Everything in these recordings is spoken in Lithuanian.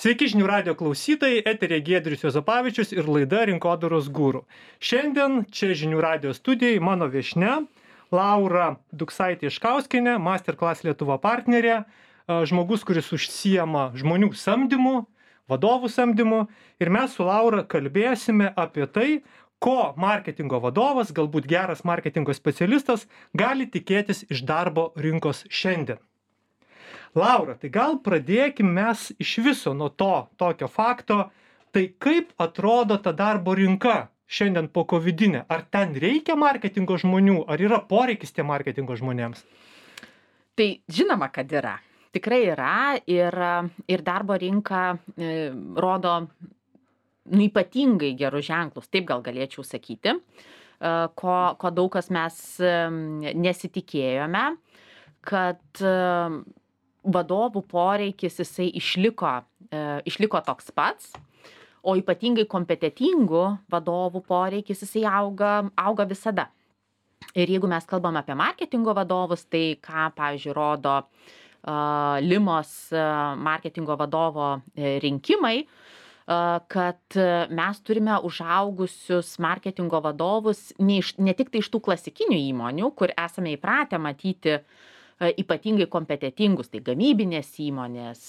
Sveiki žinių radio klausytojai, eterė Giedrius Juozapavičius ir laida Rinkodaros guru. Šiandien čia žinių radio studijai mano viešnia Laura Duksaitė-Iškauskienė, Masterclass Lietuva partnerė, žmogus, kuris užsiema žmonių samdymu, vadovų samdymu, ir mes su Laura kalbėsime apie tai, ko marketingo vadovas, galbūt geras marketingo specialistas, gali tikėtis iš darbo rinkos šiandien. Laura, tai gal pradėkim mes iš viso nuo tokio fakto, tai kaip atrodo ta darbo rinka šiandien po covidinė? Ar ten reikia marketingo žmonių, ar yra poreikis tie marketingo žmonėms? Tai žinoma, kad yra. Tikrai yra ir darbo rinka rodo ypatingai gerus ženklus, taip gal galėčiau sakyti, ko daug kas mes nesitikėjome, kad vadovų poreikis jisai išliko toks pats, o ypatingai kompetentingų vadovų poreikis jisai auga visada. Ir jeigu mes kalbam apie marketingo vadovus, tai ką, pavyzdžiui, rodo Limos marketingo vadovo rinkimai, kad mes turime užaugusius marketingo vadovus ne tik tai iš tų klasikinių įmonių, kur esame įpratę matyti ypatingai kompetentingus, tai gamybinės įmonės,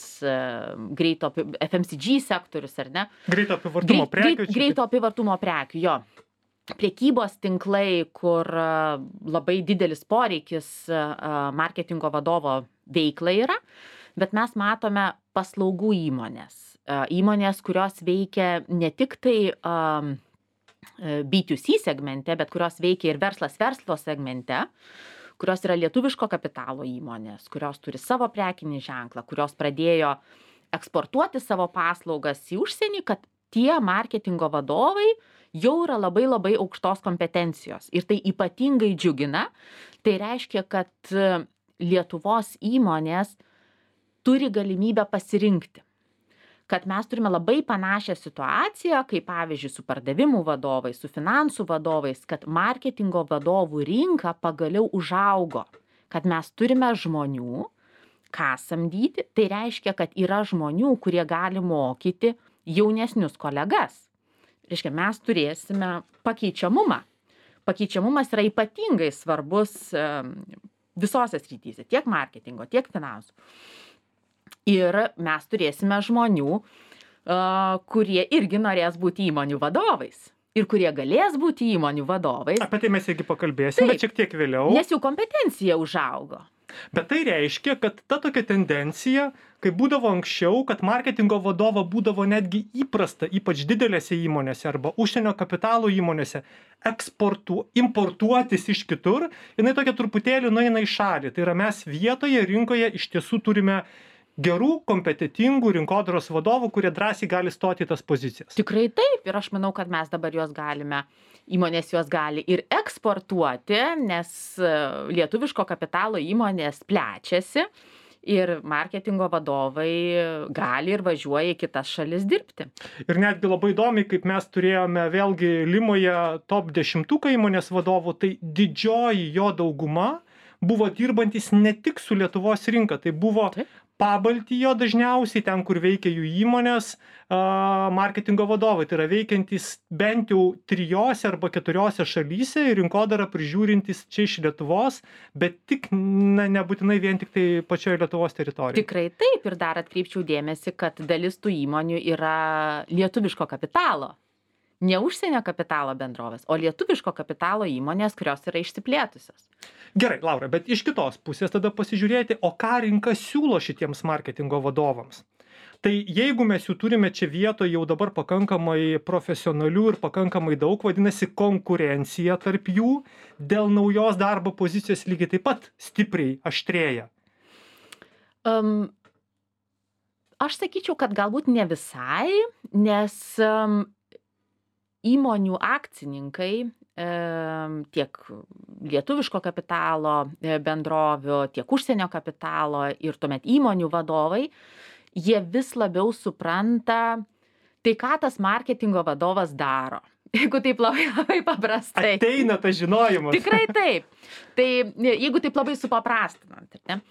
greito FMCG sektorius, ar ne? Greito apyvartumo prekių. Greito apyvartumo prekių, jo. Prekybos tinklai, kur labai didelis poreikis marketingo vadovo veiklai yra, bet mes matome paslaugų įmonės. Įmonės, kurios veikia ne tik tai B2C segmente, bet kurios veikia ir verslo segmente, kurios yra lietuviško kapitalo įmonės, kurios turi savo prekinį ženklą, kurios pradėjo eksportuoti savo paslaugas į užsienį, kad tie marketingo vadovai jau yra labai labai aukštos kompetencijos. Ir tai ypatingai džiugina. Tai reiškia, kad Lietuvos įmonės turi galimybę pasirinkti. Kad mes turime labai panašią situaciją, kaip pavyzdžiui su pardavimų vadovais, su finansų vadovais, kad marketingo vadovų rinka pagaliau užaugo. Kad mes turime žmonių, ką samdyti, tai reiškia, kad yra žmonių, kurie gali mokyti jaunesnius kolegas. Reiškia, mes turėsime pakeičiamumą. Pakeičiamumas yra ypatingai svarbus visose srityse, tiek marketingo, tiek finansų. Ir mes turėsime žmonių, kurie irgi norės būti įmonių vadovais. Ir kurie galės būti įmonių vadovais. Apie tai mes irgi pakalbėsime šiek tiek vėliau. Nes jų kompetencija užaugo. Bet tai reiškia, kad ta tokia tendencija, kai būdavo anksčiau, kad marketingo vadovo būdavo netgi įprasta, ypač didelėse įmonėse arba užsienio kapitalo įmonėse, importuotis iš kitur, jinai tokia truputėlį nueina į šalį. Tai yra mes vietoje rinkoje iš tiesų turime gerų, kompetentingų rinkodaros vadovų, kurie drąsiai gali stoti į tas pozicijas. Tikrai taip. Ir aš manau, kad mes dabar įmonės juos gali ir eksportuoti, nes lietuviško kapitalo įmonės plečiasi ir marketingo vadovai gali ir važiuoja į kitas šalis dirbti. Ir netgi labai įdomiai, kaip mes turėjome vėlgi Limoje top 10 įmonės vadovų, tai didžioji jo dauguma buvo dirbantis ne tik su Lietuvos rinka, tai buvo Pabaltijo dažniausiai, ten, kur veikia jų įmonės, marketingo vadovai. Tai yra veikiantys bent jau 3 arba 4 šalyse ir rinkodarą prižiūrintys čia iš Lietuvos, bet tik nebūtinai vien tik tai pačioje Lietuvos teritorijoje. Tikrai taip. Ir dar atkreipčiau dėmesį, kad dalis tų įmonių yra lietuviško kapitalo. Ne užsienio kapitalo bendrovės, o lietuviško kapitalo įmonės, kurios yra išsiplėtusios. Gerai, Laura, bet iš kitos pusės tada pasižiūrėti, o ką rinka siūlo šitiems marketingo vadovams. Tai jeigu mes jų turime čia vietoje jau dabar pakankamai profesionalių ir pakankamai daug, vadinasi, konkurencija tarp jų dėl naujos darbo pozicijos lygiai taip pat stipriai aštrėja. Aš sakyčiau, kad galbūt ne visai, nes įmonių akcininkai, tiek lietuviško kapitalo bendrovių, tiek užsienio kapitalo ir tuomet įmonių vadovai, jie vis labiau supranta, tai ką tas marketingo vadovas daro. Jeigu taip labai paprastai. Ateina tas žinojimas. Tikrai taip. Tai jeigu taip labai supaprastinant, ne?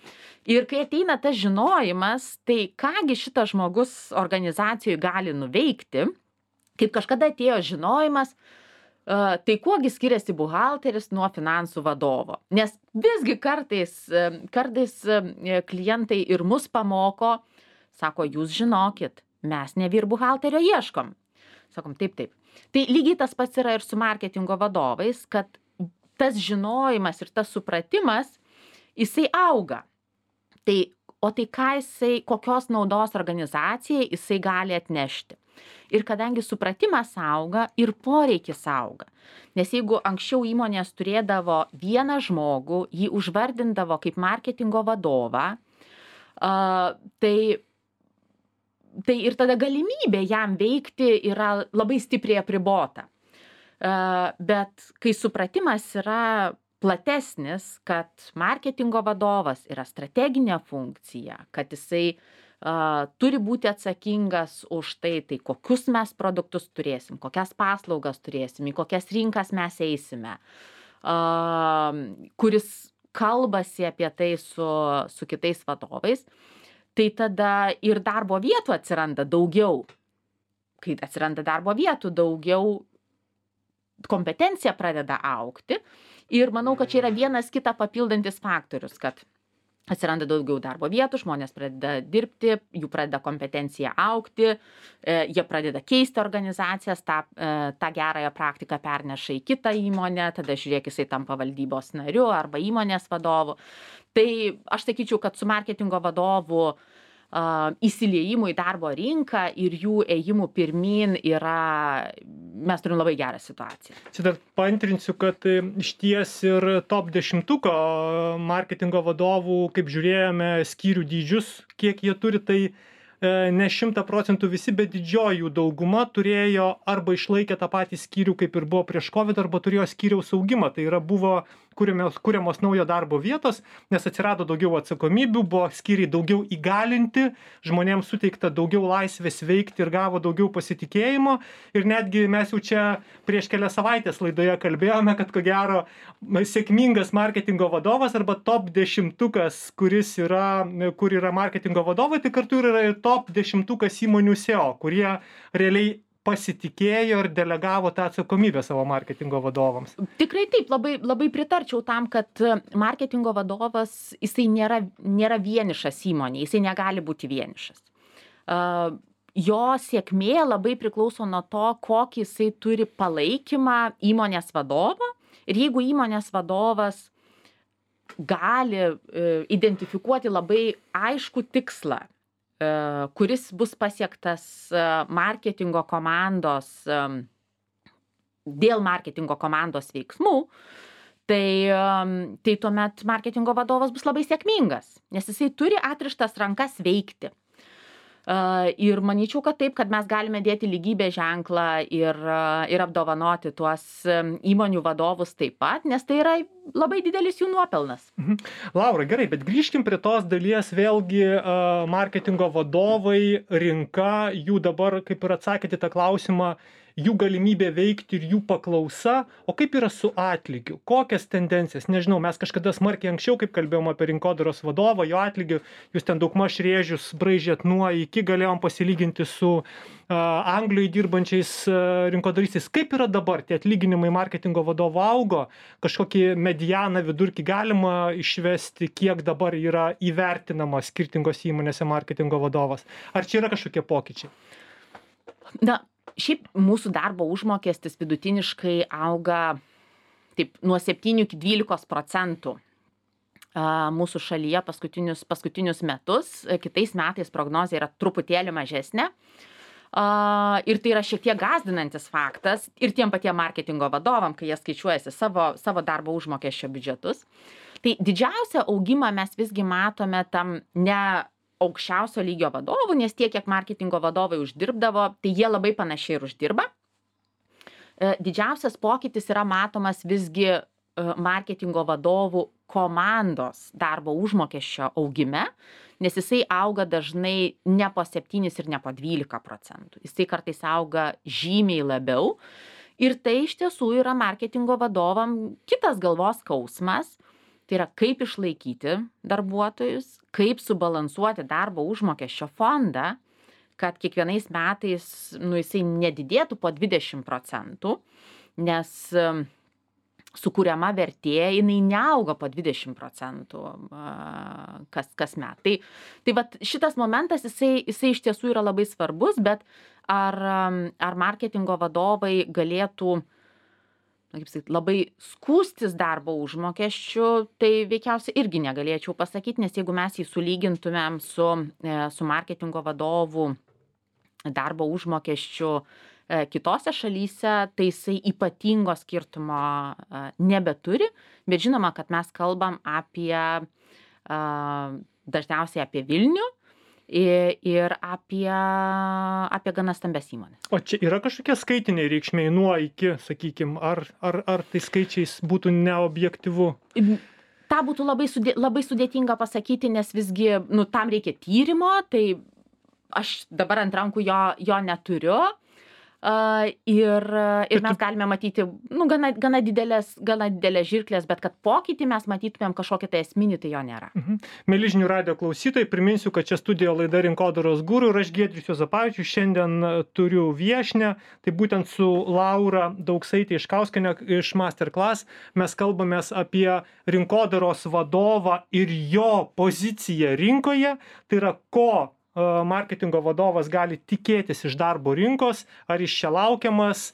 Ir kai ateina tas žinojimas, tai kągi šitas žmogus organizacijoje gali nuveikti, kaip kažkada atėjo žinojimas, tai kuogi skiriasi buhalteris nuo finansų vadovo. Nes visgi kartais klientai ir mus pamoko, sako, jūs žinokit, mes ne vyr buhalterio ieškom. Sakom, taip. Tai lygiai tas pats yra ir su marketingo vadovais, kad tas žinojimas ir tas supratimas, jisai auga. O tai kokios naudos organizacijai jisai gali atnešti. Ir kadangi supratimas auga ir poreikis auga. Nes jeigu anksčiau įmonės turėdavo vieną žmogų, jį užvardindavo kaip marketingo vadovą, tai ir tada galimybė jam veikti yra labai stipriai apribota. Bet kai supratimas yra platesnis, kad marketingo vadovas yra strateginė funkcija, kad jisai turi būti atsakingas už tai kokius mes produktus turėsim, kokias paslaugas turėsim, į kokias rinkas mes eisime, kuris kalbasi apie tai su kitais vadovais, tai tada ir darbo vietų atsiranda daugiau. Kai atsiranda darbo vietų daugiau, kompetencija pradeda augti ir manau, kad čia yra vienas kitą papildantis faktorius, kad atsiranda daugiau darbo vietų, žmonės pradeda dirbti, jų pradeda kompetencija augti, jie pradeda keisti organizacijas, tą gerąją praktiką perneša į kitą įmonę, tada žiūrėk, jisai tampa valdybos nariu arba įmonės vadovu. Tai aš sakyčiau, kad su marketingo vadovu įsiliejimu į darbo rinką ir jų ėjimų pirmyn mes turim labai gerą situaciją. Čia dar paantrinsiu, kad išties ir top 10 marketingo vadovų, kaip žiūrėjome, skyrių dydžius, kiek jie turi, tai ne 100% visi, bet didžioji jų dauguma turėjo arba išlaikė tą patį skyrių, kaip ir buvo prieš COVID, arba turėjo skyriaus augimą. Tai yra buvo kuriamos naujo darbo vietos, nes atsirado daugiau atsakomybių, buvo skyriai daugiau įgalinti, žmonėms suteikta daugiau laisvės veikti ir gavo daugiau pasitikėjimo. Ir netgi mes jau čia prieš kelias savaitės laidoje kalbėjome, kad ko gero sėkmingas marketingo vadovas arba top 10, kur yra marketingo vadovai, tai kartu yra ir top 10 įmonių SEO, kurie realiai pasitikėjo ir delegavo tą atsakomybę savo marketingo vadovams. Tikrai taip, labai pritarčiau tam, kad marketingo vadovas, jisai nėra vienišas įmonė, jisai negali būti vienišas. Jo sėkmė labai priklauso nuo to, kokį jisai turi palaikymą įmonės vadovo. Ir jeigu įmonės vadovas gali identifikuoti labai aiškų tikslą, kuris bus pasiektas marketingo komandos dėl marketingo komandos veiksmų, tai tuomet marketingo vadovas bus labai sėkmingas, nes jisai turi atrištas rankas veikti. Ir manyčiau, kad taip, kad mes galime dėti lygybės ženklą ir apdovanoti tuos įmonių vadovus taip pat, nes tai yra labai didelis jų nuopelnas. Laura, gerai, bet grįžkim prie tos dalies vėlgi marketingo vadovai, rinka, jų dabar, kaip ir atsakėte tą klausimą, jų galimybė veikti ir jų paklausa, o kaip yra su atlygiu? Kokias tendencijas? Nežinau, mes kažkada smarkiai anksčiau, kaip kalbėjom apie rinkodaros vadovą, jo atlygių, jūs ten daugmaž rėžius braižėt nuo iki, galėjom pasilyginti su Anglijoje dirbančiais rinkodaristais. Kaip yra dabar? Tie atlyginimai marketingo vadovo augo, kažkokį medianą vidurkį galima išvesti, kiek dabar yra įvertinama skirtingos įmonėse marketingo vadovas? Ar čia yra kažkokie pokyčiai? Šiaip mūsų darbo užmokestis vidutiniškai auga taip nuo 7 iki 12% mūsų šalyje paskutinius metus. Kitais metais prognozė yra truputėlį mažesnė. Ir tai yra šiek tiek gąsdinantis faktas ir tiem patiem marketingo vadovam, kai jie skaičiuojasi savo darbo užmokesčio biudžetus. Tai didžiausią augimą mes visgi matome tam ne aukščiausio lygio vadovų, nes tiek, kiek marketingo vadovai uždirbdavo, tai jie labai panašiai ir uždirba. Didžiausias pokytis yra matomas visgi marketingo vadovų komandos darbo užmokesčio augime, nes jisai auga dažnai ne po 7 ir ne po 12%. Jisai kartais auga žymiai labiau. Ir tai iš tiesų yra marketingo vadovam kitas galvos skausmas. Tai yra, kaip išlaikyti darbuotojus, kaip subalansuoti darbo užmokesčio fondą, kad kiekvienais metais, jisai nedidėtų po 20%, nes sukuriama vertė, jinai neauga po 20% kas met. Tai vat šitas momentas, jisai iš tiesų yra labai svarbus, bet ar marketingo vadovai galėtų, kaip sakyti, labai skųstis darbo užmokesčiu, tai veikiausiai irgi negalėčiau pasakyti, nes jeigu mes jį sulygintumėm su marketingo vadovų darbo užmokesčiu kitose šalyse, tai jisai ypatingo skirtumo nebeturi, bet žinoma, kad mes kalbam dažniausiai apie Vilnių ir apie gana stambes įmonės. O čia yra kažkokie skaitiniai reikšmiai nuo iki, sakykim, ar tai skaičiais būtų neobjektyvu? Ta būtų labai sudėtinga pasakyti, nes visgi, tam reikia tyrimo, tai aš dabar ant rankų jo neturiu. Ir mes galime matyti gana didelės žirklės, bet kad pokytį mes matytumėm kažkokį tai esminį, tai jo nėra. Mieli žinių radijo klausytojai, priminsiu, kad čia studijoje laida Rinkodaros guru ir aš Giedrius Juozapavičius šiandien turiu viešnią, tai būtent su Laura Dauksaitė Iškauskienė iš Masterclass. Mes kalbamės apie rinkodaros vadovą ir jo poziciją rinkoje, tai yra ko marketingo vadovas gali tikėtis iš darbo rinkos, ar iš čia laukiamas,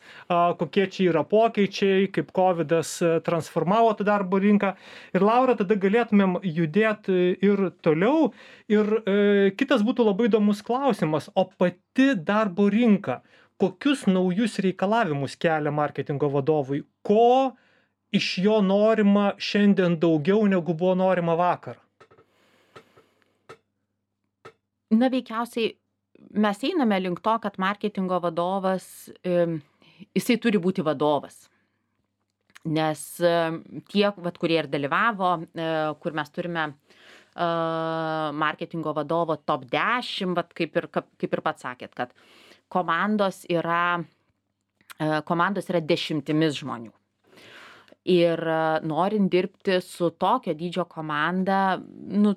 kokie čia yra pokyčiai, kaip Covidas transformavo tą darbo rinką. Ir Laura, tada galėtumėm judėti ir toliau. Ir kitas būtų labai įdomus klausimas, o pati darbo rinka, kokius naujus reikalavimus kelia marketingo vadovui? Ko iš jo norima šiandien daugiau negu buvo norima vakar? Veikiausiai mes einame link to, kad marketingo vadovas, jisai turi būti vadovas. Nes tie, kurie ir dalyvavo, kur mes turime marketingo vadovo top 10, kaip ir pats sakėt, kad komandos yra dešimtimis žmonių. Ir norint dirbti su tokio dydžio komanda,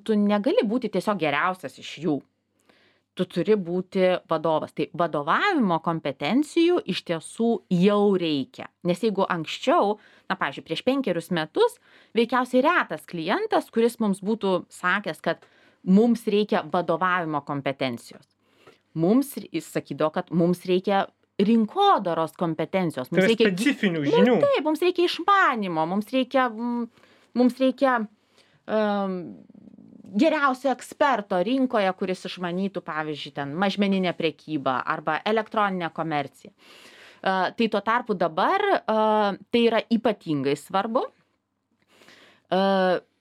tu negali būti tiesiog geriausias iš jų. Tu turi būti vadovas. Tai vadovavimo kompetencijų iš tiesų jau reikia. Nes jeigu anksčiau, pavyzdžiui, prieš 5 metus, veikiausiai retas klientas, kuris mums būtų sakęs, kad mums reikia vadovavimo kompetencijos. Jis sakydavo, kad mums reikia rinkodaros kompetencijos. Tai reikia specifinių žinių. Taip, mums reikia išmanimo, mums reikia geriausio eksperto rinkoje, kuris išmanytų, pavyzdžiui, mažmeninę prekybą arba elektroninę komerciją. Tai tuo tarpu dabar tai yra ypatingai svarbu.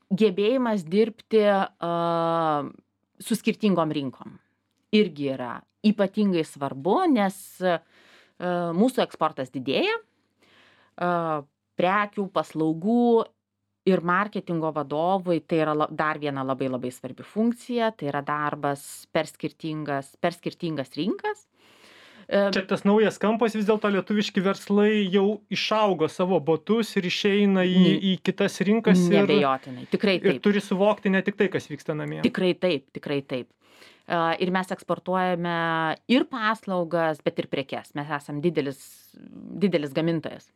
Gebėjimas dirbti su skirtingom rinkom irgi yra ypatingai svarbu, nes mūsų eksportas didėja, prekių, paslaugų ir marketingo vadovui tai yra dar viena labai labai svarbi funkcija, tai yra darbas per skirtingas rinkas. Čia tas naujas kampas, vis dėlto lietuviški verslai jau išaugo savo botus ir išeina į kitas rinkas. Neabejotinai, tikrai taip. Ir turi suvokti ne tik tai, kas vyksta namie. Tikrai taip. Ir mes eksportuojame ir paslaugas, bet ir prekes. Mes esam didelis gamintojas.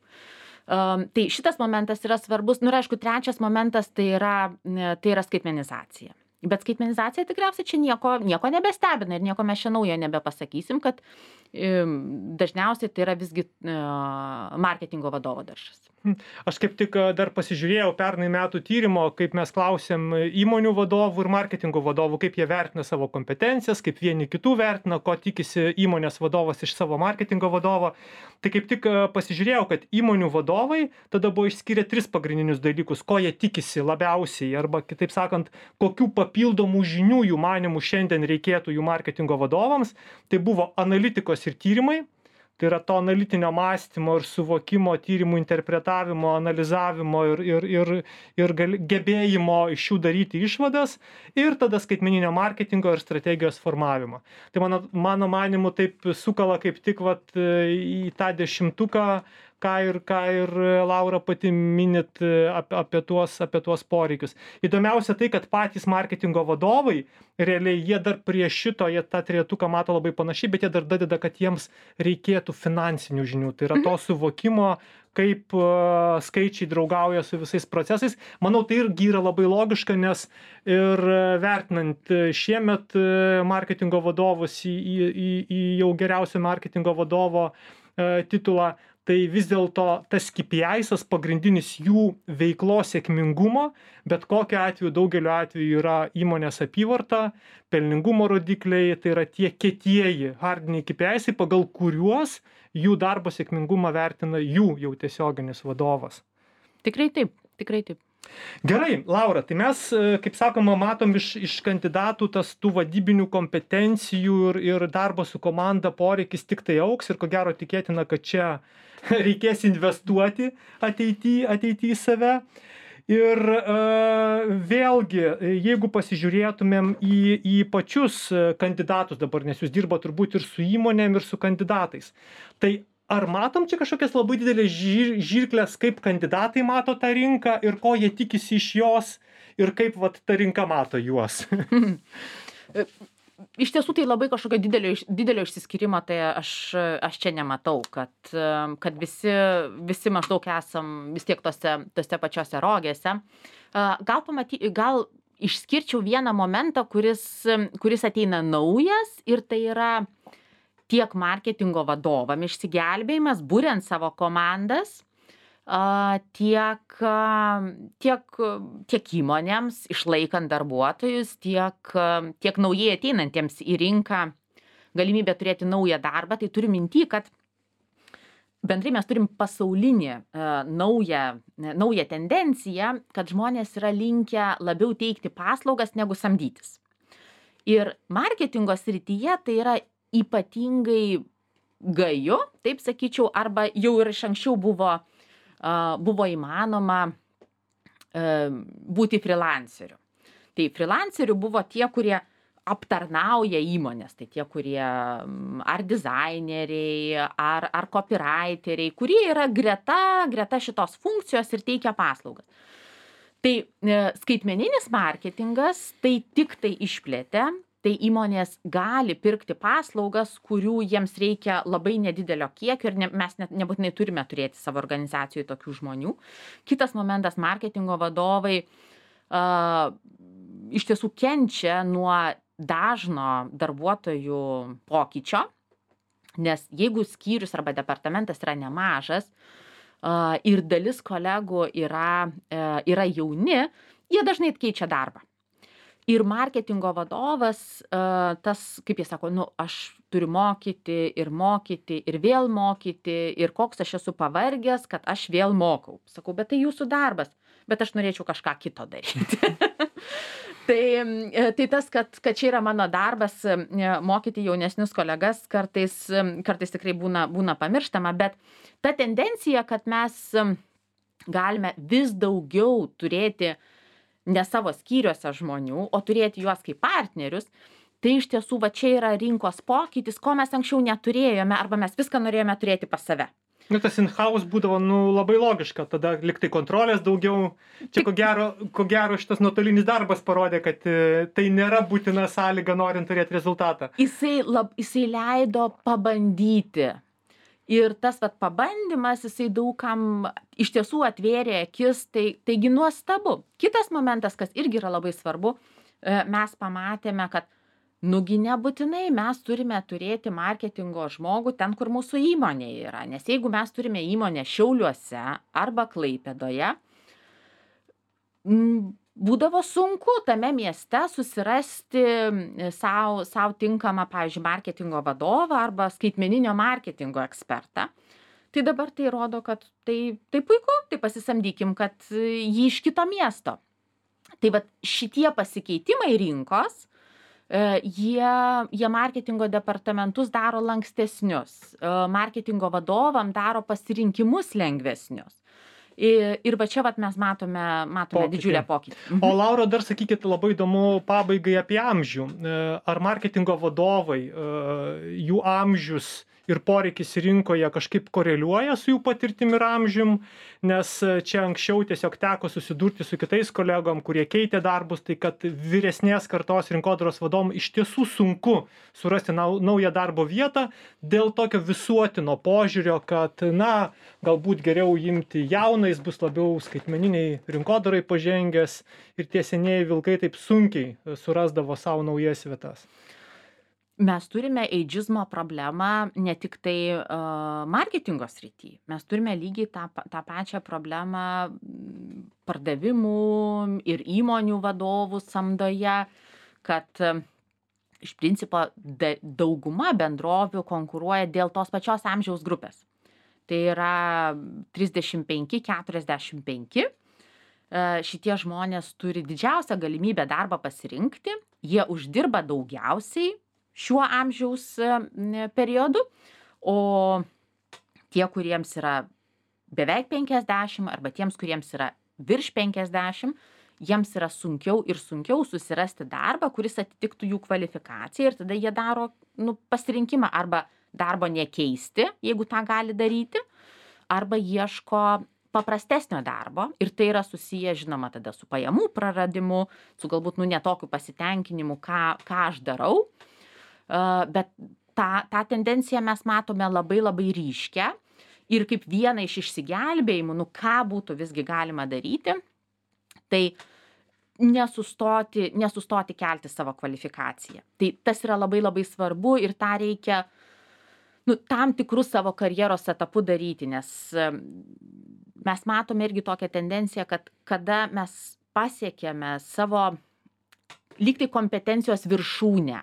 Tai šitas momentas yra svarbus. Ir aišku, trečias momentas tai yra skaitmenizacija. Bet skaitmenizacija tikriausiai čia nieko nebestebina ir nieko mes čia naujo nebepasakysim, kad dažniausiai tai yra visgi marketingo vadovo daržas. Aš kaip tik dar pasižiūrėjau pernai metų tyrimo, kaip mes klausėm įmonių vadovų ir marketingo vadovų, kaip jie vertina savo kompetencijas, kaip vieni kitų vertina, ko tikisi įmonės vadovas iš savo marketingo vadovo. Tai kaip tik pasižiūrėjau, kad įmonių vadovai tada buvo išskyrę 3 pagrindinius dalykus, ko jie tikisi labiausiai, arba kitaip sakant, kokių papildomų žinių jų manimų šiandien reikėtų jų marketingo vadovams. Tai buvo analitikos ir tyrimai. Tai yra to analitinio mąstymo ir suvokimo, tyrimų interpretavimo, analizavimo ir gebėjimo iš jų daryti išvadas ir tada skaitmeninio marketingo ir strategijos formavimo. Tai mano manimu taip sukala kaip tik į tą 10, ką ir Laura pati minit apie tuos poreikius. Įdomiausia tai, kad patys marketingo vadovai, realiai jie dar prie šito, jie tą trejetuką mato labai panašiai, bet jie dar dadeda, kad jiems reikėtų finansinių žinių. Tai yra to suvokimo, kaip skaičiai draugauja su visais procesais. Manau, tai irgi yra labai logiška, nes ir vertinant šiemet marketingo vadovus į jau geriausio marketingo vadovo titulą, tai vis dėlto tas KPI'sas pagrindinis jų veiklos sėkmingumo, bet kokiu atveju, daugeliu atveju yra įmonės apyvarta, pelningumo rodikliai, tai yra tie kietieji hardiniai KPI'sai, pagal kuriuos jų darbo sėkmingumą vertina jų jau tiesioginis vadovas. Tikrai taip, tikrai taip. Gerai, Laura, tai mes, kaip sakoma, matom iš kandidatų tas tų vadybinių kompetencijų ir darbo su komanda poreikis tik tai augs ir ko gero tikėtina, kad čia reikės investuoti ateity į save. Ir vėlgi, jeigu pasižiūrėtumėm į pačius kandidatus dabar, nes jūs dirba turbūt ir su įmonėm, ir su kandidatais, tai ar matom čia kažkokias labai didelės žirklės, kaip kandidatai mato tą rinką ir ko jie tikisi iš jos ir kaip vat ta rinka mato juos? Iš tiesų tai labai kažkokio didelio išsiskyrimo, tai aš čia nematau, kad visi maždaug esam vis tiek tose pačiose rogėse. Gal išskirčiau vieną momentą, kuris ateina naujas, ir tai yra tiek marketingo vadovam išsigelbėjimas, buriant savo komandas, tiek įmonėms, išlaikant darbuotojus, tiek naujai ateinantiems į rinką galimybę turėti naują darbą. Tai turiu minty, kad bendrai mes turim pasaulinį naują tendenciją, kad žmonės yra linkę labiau teikti paslaugas negu samdytis. Ir marketingo srityje tai yra ypatingai gaju, taip sakyčiau, arba jau ir iš anksčiau buvo įmanoma būti freelanceriu. Tai freelanceriu buvo tie, kurie aptarnauja įmonės, tai tie, kurie ar dizaineriai, ar copywriteriai, kurie yra greta šitos funkcijos ir teikia paslaugas. Tai skaitmeninis marketingas tai tik tai išplėtė, tai įmonės gali pirkti paslaugas, kurių jiems reikia labai nedidelio kiekio ir mes nebūtinai turime turėti savo organizacijoje tokių žmonių. Kitas momentas, marketingo vadovai iš tiesų kenčia nuo dažno darbuotojų pokyčio, nes jeigu skyrius arba departamentas yra nemažas ir dalis kolegų yra jauni, jie dažnai keičia darbą. Ir marketingo vadovas, tas, kaip jie sako, aš turiu mokyti ir vėl mokyti ir koks aš esu pavargęs, kad aš vėl mokau. Sakau, bet tai jūsų darbas, bet aš norėčiau kažką kito daryti. Tai tas, kad čia yra mano darbas, mokyti jaunesnius kolegas, kartais tikrai būna pamirštama, bet ta tendencija, kad mes galime vis daugiau turėti ne savo skyriuose žmonių, o turėti juos kaip partnerius, tai iš tiesų va čia yra rinkos pokytis, ko mes anksčiau neturėjome, arba mes viską norėjome turėti pas save. Tas in-house būdavo labai logiška, tada liktai kontrolės daugiau. Čia ko gero šitas nuotolinis darbas parodė, kad tai nėra būtina sąlyga norint turėti rezultatą. Jisai leido pabandyti. Ir tas pabandymas, jisai daugam iš tiesų atvėrė akis, taigi nuostabu. Kitas momentas, kas irgi yra labai svarbu, mes pamatėme, kad nugi nebūtinai mes turime turėti marketingo žmogų ten, kur mūsų įmonė yra. Nes jeigu mes turime įmonę Šiauliuose arba Klaipėdoje, būdavo sunku tame mieste susirasti sau tinkamą, pavyzdžiui, marketingo vadovą arba skaitmeninio marketingo ekspertą. Tai dabar tai rodo, kad tai puiku, tai pasisamdykim, kad jį iš kito miesto. Tai vat šitie pasikeitimai rinkos, jie marketingo departamentus daro lankstesnius, marketingo vadovam daro pasirinkimus lengvesnius. Ir va čia vat mes matome didžiulę pokytį. O Laura, dar sakykit, labai įdomu pabaigai apie amžių. Ar marketingo vadovai, jų amžius ir poreikis rinkoje kažkaip koreliuoja su jų patirtim ir amžium, nes čia anksčiau tiesiog teko susidurti su kitais kolegom, kurie keitė darbus, tai kad vyresnės kartos rinkodaros vadovom iš tiesų sunku surasti naują darbo vietą dėl tokio visuotino požiūrio, kad, na, galbūt geriau imti jauną, jis bus labiau skaitmeniniai rinkodarai pažengęs ir tie senieji vilkai taip sunkiai surasdavo savo naujas vietas. Mes turime eidžizmo problemą ne tik tai marketingo srity. Mes turime lygiai tą pačią problemą pardavimų ir įmonių vadovų samdoje, kad iš principo dauguma bendrovių konkuruoja dėl tos pačios amžiaus grupės. Tai yra 35-45. Šitie žmonės turi didžiausią galimybę darbą pasirinkti, jie uždirba daugiausiai šiuo amžiaus periodu, o tie, kuriems yra beveik 50 arba tiems, kuriems yra virš 50, jiems yra sunkiau ir sunkiau susirasti darbą, kuris atitiktų jų kvalifikaciją ir tada jie daro pasirinkimą arba darbo nekeisti, jeigu tą gali daryti, arba ieško paprastesnio darbo ir tai yra susiję, žinoma, tada su pajamų praradimu, su galbūt netokiu pasitenkinimu, ką aš darau. Bet tą tendenciją mes matome labai ryškę ir kaip vieną iš išsigelbėjimų, ką būtų visgi galima daryti, tai nesustoti kelti savo kvalifikaciją. Tai tas yra labai svarbu ir tą reikia tam tikrus savo karjeros etapų daryti, nes mes matome irgi tokią tendenciją, kad kada mes pasiekėme savo lygtai kompetencijos viršūnę,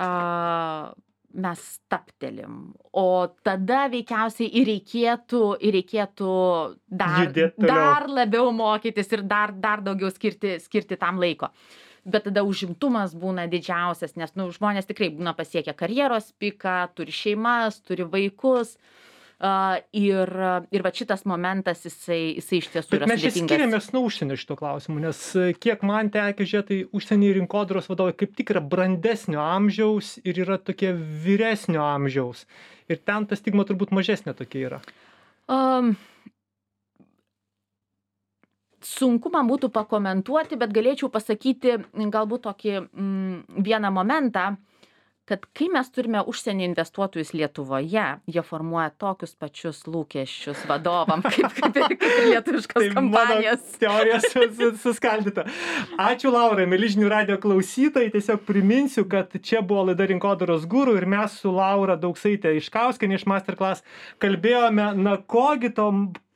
mes staptelim, o tada veikiausiai ir reikėtų dar labiau mokytis ir dar daugiau skirti tam laiko. Bet tada užimtumas būna didžiausias, nes žmonės tikrai būna pasiekę karjeros piką, turi šeimas, turi vaikus. Ir va šitas momentas, jisai iš tiesų yra sudėtingas. Bet mes čia skiriamės nuo užsienio šito klausimu, nes kiek man tekę žiūrėti, tai užsienio rinkodaros vadovai kaip tik yra brandesnio amžiaus ir yra tokie vyresnio amžiaus. Ir ten ta stigma turbūt mažesnė tokia yra. Sunku man būtų pakomentuoti, bet galėčiau pasakyti galbūt tokį vieną momentą, kad kai mes turime užsienio investuotojus Lietuvoje, jie formuoja tokius pačius lūkesčius vadovam, kaip ir lietuviškos kompanijos. Tai teorija suskaldyta. Ačiū Laurai, mieli žinių radijo klausytojai. Tiesiog priminsiu, kad čia buvo laida Rinkodaros guru ir mes su Laura Dauksaite Iškauskiene iš Masterclass kalbėjome,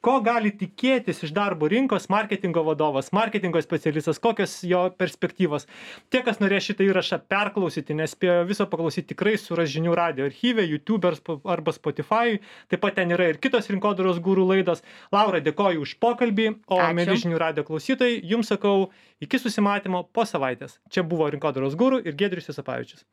ko gali tikėtis iš darbo rinkos marketingo vadovas, marketingo specialistas, kokios jo perspektyvos. Tie, kas norės šitą įrašą perklausyti, nespėjo viso paklausyti, tikrai suras žinių radijo archyve, YouTube arba Spotify. Taip pat ten yra ir kitos Rinkodaros guru laidos. Laura, dėkoju už pokalbį, o mieli žinių radijo klausytojai, jums sakau, iki susimatymo po savaitės. Čia buvo Rinkodaros guru ir Giedrius Juozapavičius.